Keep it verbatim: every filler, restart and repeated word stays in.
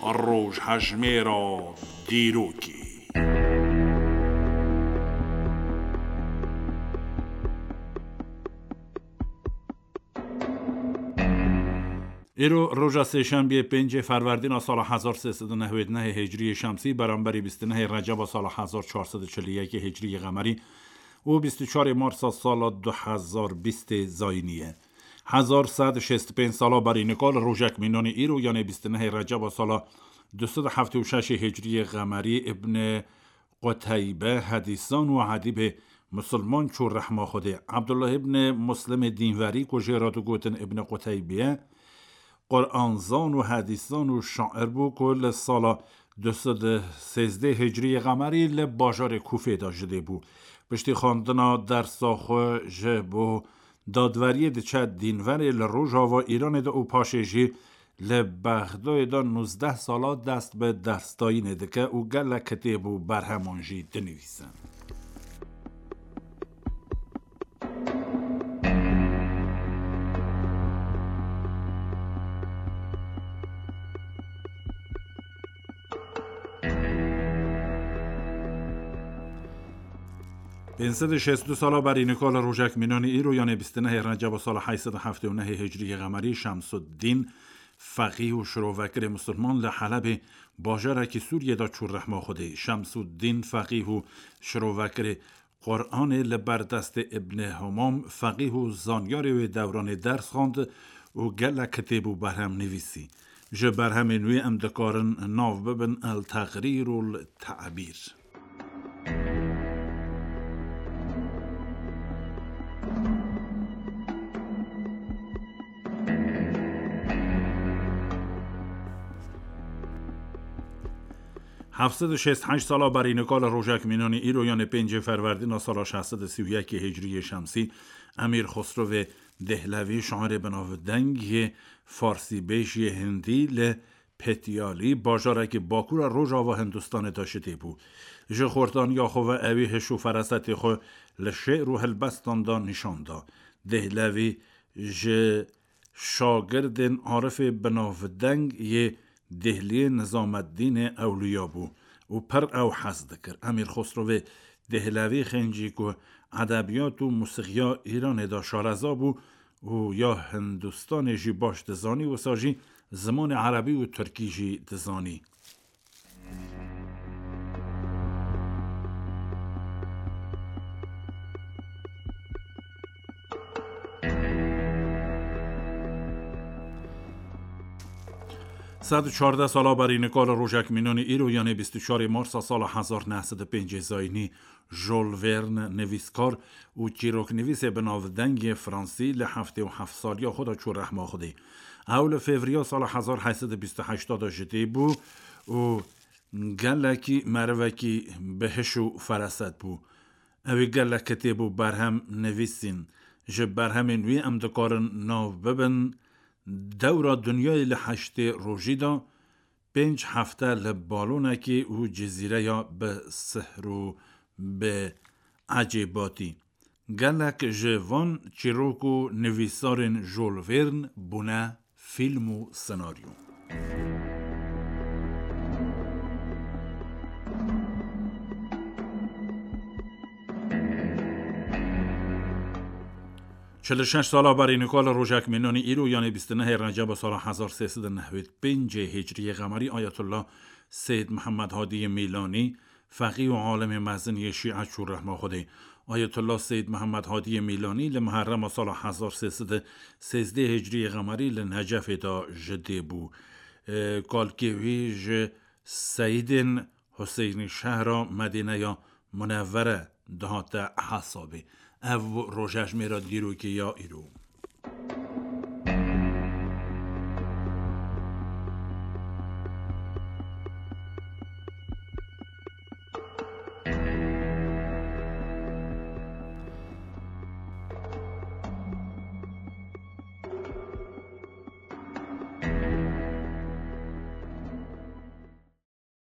Rojhejmêra dîrokê. Îro roja sêşembiyê, pêncê Ferwerdîna sala hezar sê sed û newêd nehê Hicriyê Şemsî, beramberî bîst û nehê Receba sala hezar çar sed û çil û yekê Hicriyê Qemerî û bîst û çarê Marsa sala du hezar bîstê Zayînî ye. Hezar sed û şêst û pênc sala berî nika li rojek mînanî îro, yanê bîst û nehê Receba sala du sed û heftê û şeşê Hicriyê Qemerî, Ibn Quteybe, hedîsan û edîbê misilman çû rehma Xwedê. Ebdullah ibn Muslimê dînverî, ku jê re digotin Ibn Quteybiye, Quranzan û hedîsan û şair bû, ku li sala du sed û sêzdeh Hicriyê Qemerî li bajarê Kûfê de ji dê bû. Piştî xwendina dersa xwe ji bo dadweriyê diçe dînverê li rojava Îranê de û paşê jî li Bexdayê de nûzdeh sala dest bi dersdayînê dike û gelek kitêb û berheman jî dinivîse. Pênc sed û şêst û du sala berî nika li rojek mînanî îro, yanê bîst û nehê Receba sala heyt sed û heftê û nehê Hicriyê Qemerî, Şemsuddîn, feqîh û şirovekirê misilman, li Helebê, bajarekî Sûriyê de çû rehma Xwedê. Şemsuddîn, feqîh û şirovekirê Quranê, li ber destê Ibn Humam, feqîh û zanyarê wê dewranê ders xwend û gelek kitêb û berhem nivîsî. Ji berhemên wî em dikarin nav bibin El Teqrîr û El Te'bîr. Heft sed û şêst û heşt sala berî nika li rojek mînanî îro, yanê pêncê Ferwerdîna sala şeş sed û sî û yekê Hicriyê Şemsî, Emîr Xosrovê Dehlevî, şairê binavdeng yê farsîbêj yê hindî, li Petiyalî, bajarekî bakura rojava Hindistanê de ji dê bû. Ji xortaniya xwe ve ewî hiş û ferasetê xwe li şi'r û helbestan de nîşan da. Dehlevî ji şagirdên arifê binavdeng yê Dehliyê Nizameddînê Ewliya bû û pir ew hez dikir. Emîr Xosrovê Dehlevî xêncî ku edebiyat û musiqiya Îranê de şareza bû û ya Hindistanê jî baş dizanî, wisa jî zimanê erebî û tirkî jî dizanî. Sed û çardeh sala berî nika li rojek mînanî îro, yanê bîst û çarê Marsa sala hezar neh sed û pêncê Zayînî, Jules Verne, nivîskar û çîroknivîsê binavdeng yê Fransî, li heftê û heft saliya xwe de çû rehma Xwedê. Ew li Fevriya sala hezar heyt sed û bîst û heşt de ji dê bû û gelekî merivekî bi hiş û feraset bû. Ew ê gelek kitêb û berhem nivîsîn. Ji berhemên wî em dikarin nav bibin: Dewra Dinyayê li Heştê Rojî de, Pênc Hefte li Balonekê û Cizîreya bi Sihr û bi Ecêbatî. Gelek ji van çîrok û nivîsarên Jules Verne bûne fîlm û senaryo. Çil û şeş sala berî nika li rojek mînanî îro, yanê bîst û nehê Receba sala hezar sê sed û nehwêd pêncê Hicriyê Qemerî, Ayetullah Seyyid Mihemed Hadiyê Mîlanî, feqî û alimê mezin yê Şîe, çû rehma Xwedê. Ayetullah Seyyid Mihemed Hadiyê Mîlanî li Miherrema sala hezar sê sed û sêzdeh Hicriyê Qemerî li Necefê de ji dê bû. Kalkê wî ji Seyidên Huseynî şehra Medîneya Munevvere dihate hesabê. Ev bû rojejmêra dîrokê ya îro.